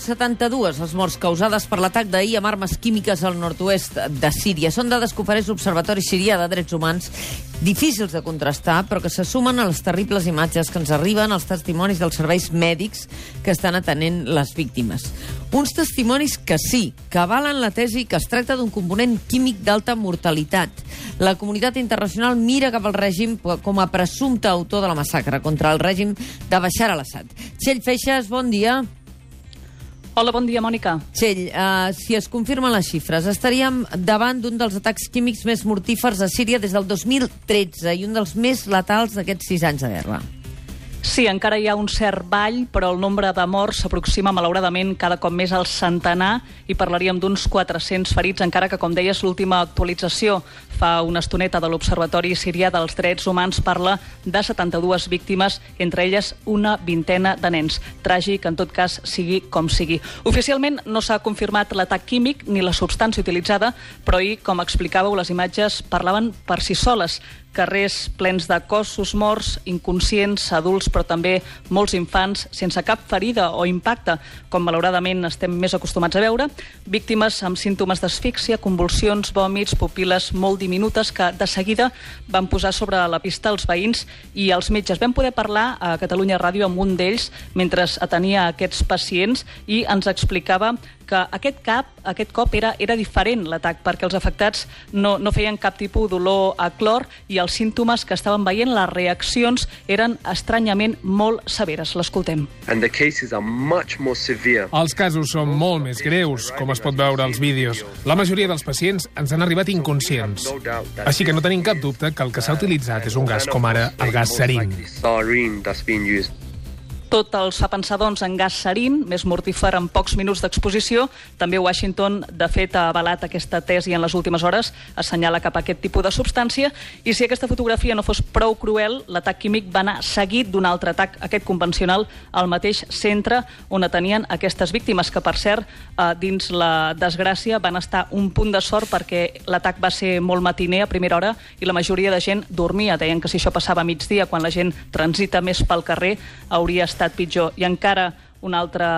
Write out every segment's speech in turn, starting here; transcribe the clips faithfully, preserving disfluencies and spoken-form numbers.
setanta-dues les morts causades per l'atac d'ahir amb armes químiques al nord-oest de Síria. Són dades que ofereix l'Observatori Sirià de Drets Humans, difícils de contrastar, però que se sumen a les terribles imatges que ens arriben als testimonis dels serveis mèdics que estan atenent les víctimes. Uns testimonis que sí, que avalen la tesi que es tracta d'un component químic d'alta mortalitat. La comunitat internacional mira cap al règim com a presumpte autor de la massacre contra el règim de Bashar al-Assad. Txell Feixas, bon dia. Hola, bon dia, Mònica. Txell, uh, si es confirmen les xifres, estaríem davant d'un dels atacs químics més mortífers a Síria des del dos mil tretze i un dels més letals d'aquests sis anys de guerra. Sí, encara hi ha un cert ball, però el nombre de morts s'aproxima malauradament cada cop més al centenar i parlaríem d'uns quatre-cents ferits, encara que, com deies, l'última actualització fa una estoneta de l'Observatori Sirià dels Drets Humans parla de setanta-dues víctimes, entre elles una vintena de nens. Tràgic, en tot cas, sigui com sigui. Oficialment no s'ha confirmat l'atac químic ni la substància utilitzada, però ahir, com explicàveu, les imatges parlaven per si soles. Carrers plens de cossos morts, inconscients, adults, però també molts infants, sense cap ferida o impacte, com malauradament estem més acostumats a veure, víctimes amb símptomes d'asfíxia, convulsions, vòmits, pupil·les molt diminutes que de seguida van posar sobre la pista els veïns i els metges. Vam poder parlar a Catalunya Ràdio amb un d'ells mentre atenia aquests pacients i ens explicava que aquest cap, aquest cop era, era diferent l'atac, perquè els afectats no, no feien cap tipus d'olor a clor i els símptomes que estaven veient, les reaccions, eren estranyament molt severes. L'escoltem. Els casos són molt més greus, com es pot veure als vídeos. La majoria dels pacients ens han arribat inconscients. Així que no tenim cap dubte que el que s'ha utilitzat és un gas com ara el gas sarin. Tot els fa pensar, doncs, en gas sarin, més mortífer en pocs minuts d'exposició. També Washington, de fet, ha avalat aquesta tesi en les últimes hores, assenyala cap a aquest tipus de substància, i si aquesta fotografia no fos prou cruel, l'atac químic va anar seguit d'un altre atac, aquest convencional, al mateix centre on atenien aquestes víctimes, que, per cert, dins la desgràcia van estar un punt de sort perquè l'atac va ser molt matiner a primera hora i la majoria de gent dormia. Deien que si això passava a migdia, quan la gent transita més pel carrer, hauria estat pitjor. I encara una altra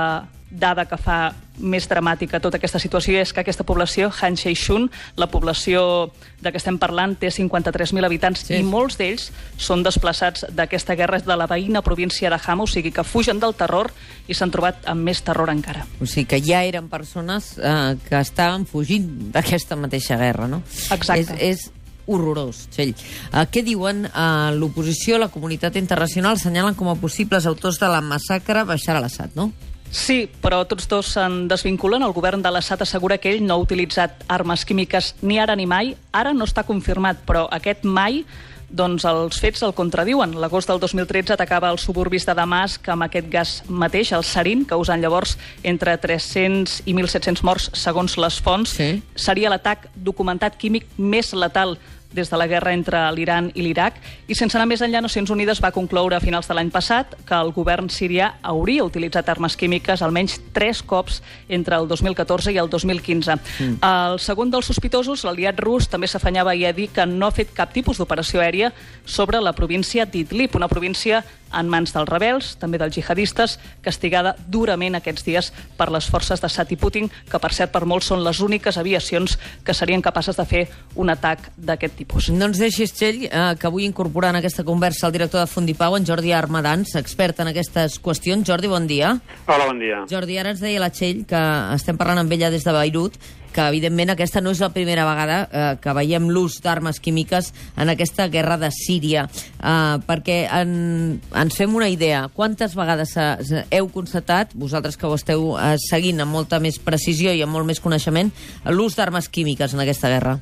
dada que fa més dramàtica tota aquesta situació és que aquesta població, Han Sheshun, la població de què estem parlant, té cinquanta-tres mil habitants, sí, i molts d'ells són desplaçats d'aquesta guerra de la veïna província de Hama, o sigui que fugen del terror i s'han trobat amb més terror encara. O sigui que ja eren persones eh, que estaven fugint d'aquesta mateixa guerra, no? Exacte. És, és horrorós, Txell. Uh, què diuen uh, l'oposició, la comunitat internacional, assenyalen com a possibles autors de la massacre Bashar al-Assad, no? Sí, però tots dos se'n desvinculen. El govern de l'Assad assegura que ell no ha utilitzat armes químiques ni ara ni mai. Ara no està confirmat, però aquest mai, doncs els fets el contradiuen. L'agost del dos mil tretze atacava els suburbis de Damasc amb aquest gas mateix, el sarin, causant llavors entre tres-cents i mil set-cents morts, segons les fonts. Sí. Seria l'atac documentat químic més letal des de la guerra entre l'Iran i l'Iraq, i sense anar més enllà, Nacions Unides va concloure a finals de l'any passat que el govern sirià hauria utilitzat armes químiques almenys tres cops entre el dos mil catorze i el dos mil quinze. Mm. El segon dels sospitosos, l'aliat rus, també s'afanyava a dir que no ha fet cap tipus d'operació aèria sobre la província d'Idlib, una província en mans dels rebels, també dels jihadistes, castigada durament aquests dies per les forces d'Assad i Putin, que per cert per molts són les úniques aviacions que serien capaces de fer un atac d'aquest tipus. No ens deixis, Txell, eh, que vull incorporar en aquesta conversa el director de Fundipau, en Jordi Armadans, expert en aquestes qüestions. Jordi, bon dia. Hola, bon dia. Jordi, ara ens deia la Txell que estem parlant amb ella des de Beirut, que evidentment aquesta no és la primera vegada eh, que veiem l'ús d'armes químiques en aquesta guerra de Síria, eh, perquè en, ens fem una idea. Quantes vegades eh, heu constatat, vosaltres que ho esteu eh, seguint amb molta més precisió i amb molt més coneixement, l'ús d'armes químiques en aquesta guerra?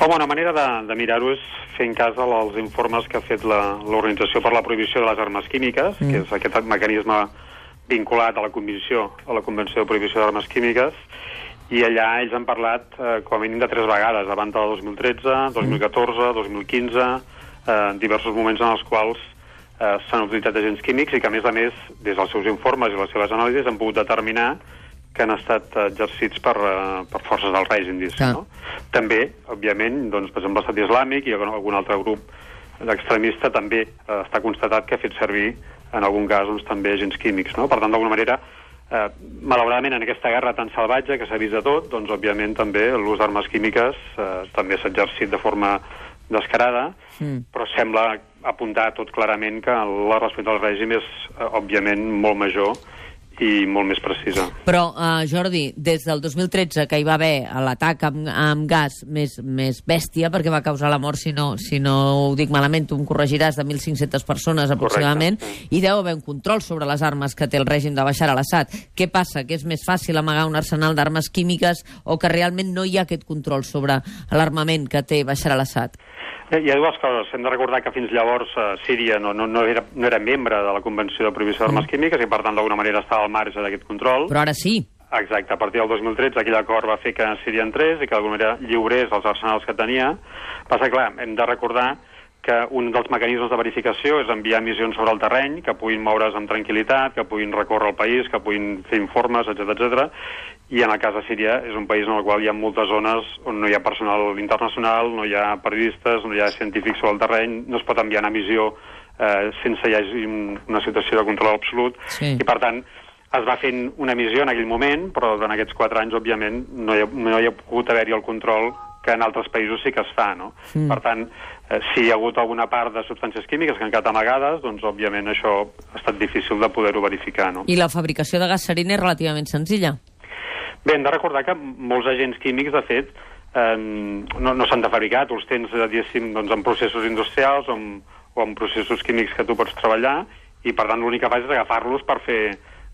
Home, una manera de, de mirar-ho és fent cas als informes que ha fet l'Organització per la Prohibició de les Armes Químiques, mm. que és aquest mecanisme vinculat a la Convenció, a la Convenció de Prohibició d'Armes Químiques, i allà ells han parlat eh, com a mínim de tres vegades, abans del dos mil tretze, dos mil catorze, dos mil quinze, eh, diversos moments en els quals eh, s'han utilitzat agents químics i que, a més a més, des dels seus informes i les seves anàlisis han pogut determinar que han estat exercits per, uh, per forces del règim, no? També, òbviament, doncs, per exemple, l'Estat Islàmic i algun altre grup extremista també uh, està constatat que ha fet servir, en algun cas, doncs, també agents químics, no? Per tant, d'alguna manera, Eh, malauradament, en aquesta guerra tan salvatge que s'ha vist de tot, doncs, òbviament, també l'ús d'armes químiques eh, també s'ha exercit de forma descarada, mm. però sembla apuntar tot clarament que la resposta del règim és, eh, òbviament, molt major i molt més precisa. Però, uh, Jordi, des del dos mil tretze, que hi va haver l'atac amb, amb gas més, més bèstia, perquè va causar la mort, si no, si no ho dic malament, tu em corregiràs, de mil cinc-centes persones aproximadament, correcte, sí. I deu haver un control sobre les armes que té el règim de Bashar al-Assad. Què passa? Que és més fàcil amagar un arsenal d'armes químiques o que realment no hi ha aquest control sobre l'armament que té Bashar al-Assad? Hi ha dues coses. Hem de recordar que fins llavors uh, Síria no, no, no, era, no era membre de la Convenció de Prohibició d'Armes mm. Químiques i, per tant, d'alguna manera estava al marge d'aquest control. Però ara sí. Exacte. A partir del dos mil tretze aquell acord va fer que Síria entrés i que d'alguna manera lliurés els arsenals que tenia. Passa, clar, hem de recordar que un dels mecanismes de verificació és enviar missions sobre el terreny, que puguin moure's amb tranquil·litat, que puguin recórrer el país, que puguin fer informes, etcètera, etcètera. I en el cas de Síria és un país en el qual hi ha moltes zones on no hi ha personal internacional, no hi ha periodistes, no hi ha científics sobre el terreny, no es pot enviar una missió eh, sense hi hagi una situació de control absolut. Sí. I, per tant, es va fent una missió en aquell moment, però en aquests quatre anys, òbviament, no hi ha, no hi ha pogut haver-hi el control que en altres països sí que es fa, no? Mm. Per tant, eh, si hi ha hagut alguna part de substàncies químiques que han quedat amagades, doncs, òbviament, això ha estat difícil de poder-ho verificar, no? I la fabricació de gas sarin és relativament senzilla? Bé, hem de recordar que molts agents químics, de fet, eh, no, no s'han de fabricar. Tu els tens, diguéssim, doncs, en processos industrials o en, o en processos químics que tu pots treballar i, per tant, l'únic que fas és agafar-los per fer,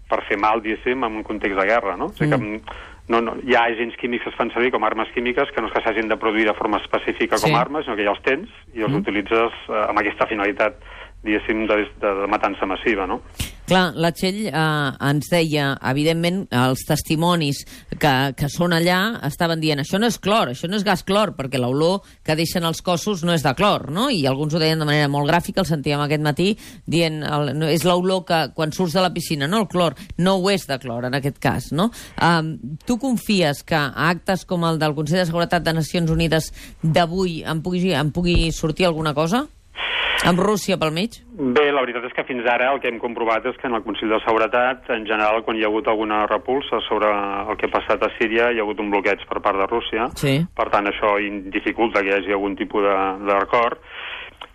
per fer mal, diguéssim, en un context de guerra, no? Mm. O sigui que no, no, hi ha agents químics que es fan servir com armes químiques que no és que s'hagin de produir de forma específica com sí. armes, sinó que ja els tens i els mm. utilitzes eh, amb aquesta finalitat, diguéssim, de, de, de matança massiva, no? Clar, la Txell eh, ens deia, evidentment, els testimonis que, que són allà estaven dient això no és clor, això no és gas clor, perquè l'olor que deixen els cossos no és de clor, no? I alguns ho deien de manera molt gràfica, el sentíem aquest matí, dient el, no, és l'olor que quan surts de la piscina, no el clor, no ho és de clor en aquest cas, no? Um, tu confies que a actes com el del Consell de Seguretat de Nacions Unides d'avui en pugui, en pugui sortir alguna cosa? Amb Rússia pel mig? Bé, la veritat és que fins ara el que hem comprovat és que en el Consell de Seguretat, en general, quan hi ha hagut alguna repulsa sobre el que ha passat a Síria, hi ha hagut un bloqueig per part de Rússia. Sí. Per tant, això dificulta que hi hagi algun tipus d'acord.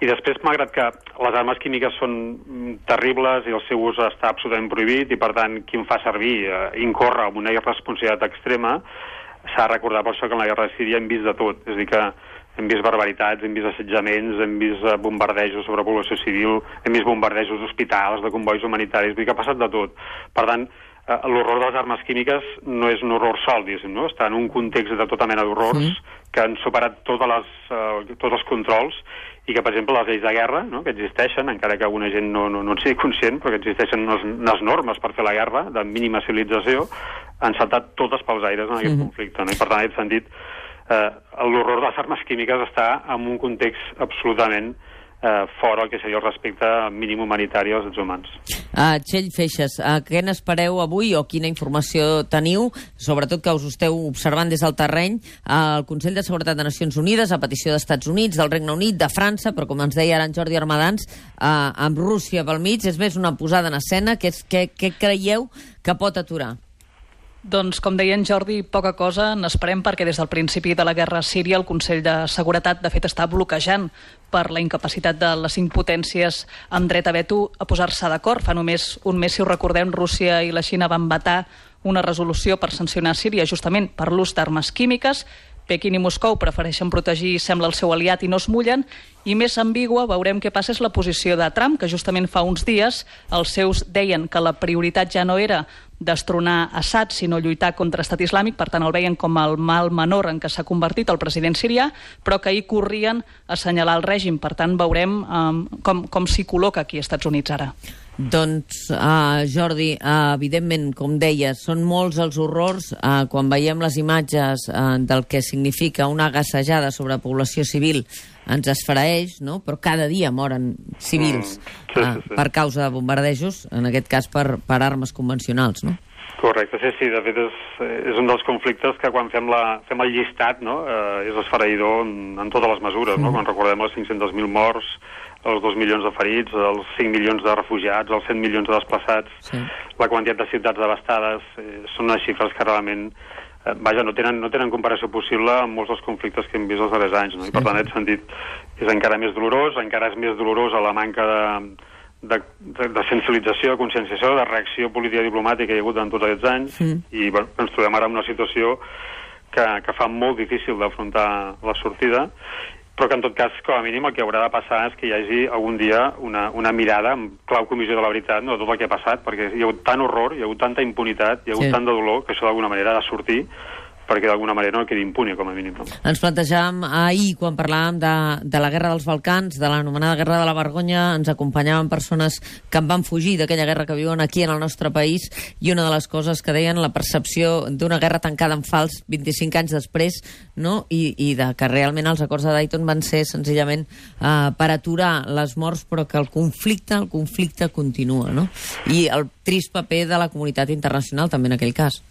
I després, malgrat que les armes químiques són terribles i el seu ús està absolutament prohibit i, per tant, qui en fa servir eh, incorre amb una irresponsabilitat extrema, s'ha de recordar per això que en la guerra de Síria hem vist de tot. És a dir, que hem vist barbaritats, hem vist assetjaments, hem vist bombardejos sobre població civil, hem vist bombardejos d'hospitals, de convois humanitaris, vull dir que ha passat de tot. Per tant, eh, l'horror de les armes químiques no és un horror sol, diguéssim, no? Està en un context de tota mena d'horrors sí. que han superat totes les, eh, tots els controls i que, per exemple, les lleis de guerra, no?, que existeixen, encara que alguna gent no, no, no en sigui conscient, però que existeixen unes, unes normes per fer la guerra, de mínima civilització, han saltat totes pels aires en aquest mm-hmm. conflicte, no? I, per tant, en aquest sentit, Eh, l'horror de les armes químiques està en un context absolutament eh, fora el que seria el respecte mínim humanitari als drets humans. Uh, Txell Feixes, uh, què n'espereu avui o quina informació teniu, sobretot que us esteu observant des del terreny, uh, el Consell de Seguretat de Nacions Unides, a petició d'Estats Units, del Regne Unit, de França, però com ens deia ara en Jordi Armadans, uh, amb Rússia pel mig, és més una posada en escena, què què creieu que pot aturar? Doncs, com deia en Jordi, poca cosa n'esperem perquè des del principi de la guerra a Síria el Consell de Seguretat, de fet, està bloquejant per la incapacitat de les cinc potències amb dret a veto a posar-se d'acord. Fa només un mes, si ho recordem, Rússia i la Xina van vetar una resolució per sancionar Síria justament per l'ús d'armes químiques. Pequín i Moscou prefereixen protegir, sembla, el seu aliat i no es mullen, i més ambigua, veurem què passa, és la posició de Trump, que justament fa uns dies els seus deien que la prioritat ja no era destronar Assad, sinó lluitar contra Estat Islàmic, per tant el veien com el mal menor en què s'ha convertit el president sirià, però que ahir corrien a assenyalar el règim. Per tant, veurem um, com, com s'hi col·loca aquí als Estats Units ara. Doncs, uh, Jordi, uh, evidentment, com deies, són molts els horrors uh, quan veiem les imatges uh, del que significa una gassejada sobre població civil, ens esfereeix, no? Però cada dia moren civils mm, sí, sí, sí. Uh, per causa de bombardejos, en aquest cas per, per armes convencionals, no? Correcte, sí, sí, de fet és, és un dels conflictes que quan fem, la, fem el llistat, no?, eh, és esfereïdor en, en totes les mesures, no? Mm. Quan recordem els cinc-cents mil morts, els dos milions de ferits, els cinc milions de refugiats, els cent milions de desplaçats, sí. la quantitat de ciutats devastades, eh, són unes xifres que realment eh, vaja, no tenen, no tenen comparació possible amb molts dels conflictes que hem vist els darrers anys, no? I per tant, en aquest sentit, és encara més dolorós, encara és més dolorosa la manca de, de, de, de sensibilització, de conscienciació, de reacció política i diplomàtica que hi ha hagut en tots aquests anys, mm. i bueno, ens trobem ara en una situació que, que fa molt difícil d'afrontar la sortida, però que en tot cas, com a mínim, el que haurà de passar és que hi hagi algun dia una, una mirada amb clau comissió de la veritat, no, de tot el que ha passat, perquè hi ha hagut tant horror, hi ha hagut tanta impunitat, hi ha hagut sí. tant de dolor, que això d'alguna manera ha de sortir, perquè d'alguna manera no quedi impune, com a mínim. No? Ens plantejàvem ahir, quan parlàvem de, de la Guerra dels Balcans, de l'anomenada Guerra de la Vergonya, ens acompanyaven persones que en van fugir d'aquella guerra que viuen aquí en el nostre país, i una de les coses que deien, la percepció d'una guerra tancada en fals vint-i-cinc anys després, no? I, i de que realment els acords de Dayton van ser senzillament uh, per aturar les morts, però que el conflicte, el conflicte continua, no? I el trist paper de la comunitat internacional també en aquell cas.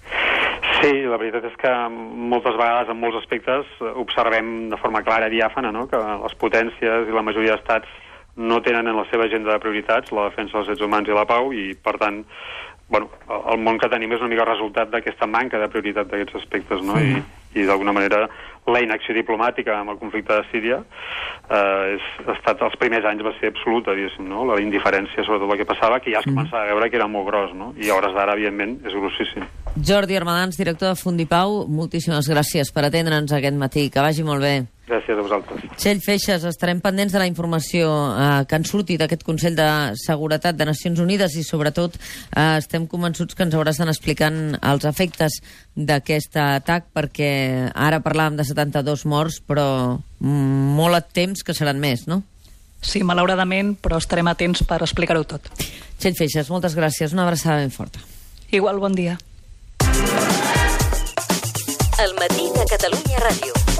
Sí, la veritat és que moltes vegades, en molts aspectes, observem de forma clara i diàfana, no?, que les potències i la majoria d'estats no tenen en la seva agenda de prioritats la defensa dels drets humans i la pau, i, per tant, bueno, el món que tenim és una mica el resultat d'aquesta manca de prioritat d'aquests aspectes, no?, sí. I, i d'alguna manera la inacció diplomàtica amb el conflicte de Síria eh, és, ha estat, els primers anys va ser absoluta, diguéssim, no?, la indiferència sobre tot el que passava, que ja es començava a veure que era molt gros, no?, i a hores d'ara, evidentment, és grossíssim. Jordi Armadans, director de Fundipau, moltíssimes gràcies per atendre'ns aquest matí. Que vagi molt bé. Gràcies a vosaltres. Txell Feixes, estarem pendents de la informació eh, que en surti d'aquest Consell de Seguretat de Nacions Unides, i sobretot eh, estem convençuts que ens hauràs d'anar explicant els efectes d'aquest atac, perquè ara parlàvem de setanta-dos morts, però molt a temps que seran més, no? Sí, malauradament, però estarem atents per explicar-ho tot. Txell Feixes, moltes gràcies. Una abraçada ben forta. Igual, bon dia. El matí de Catalunya Ràdio.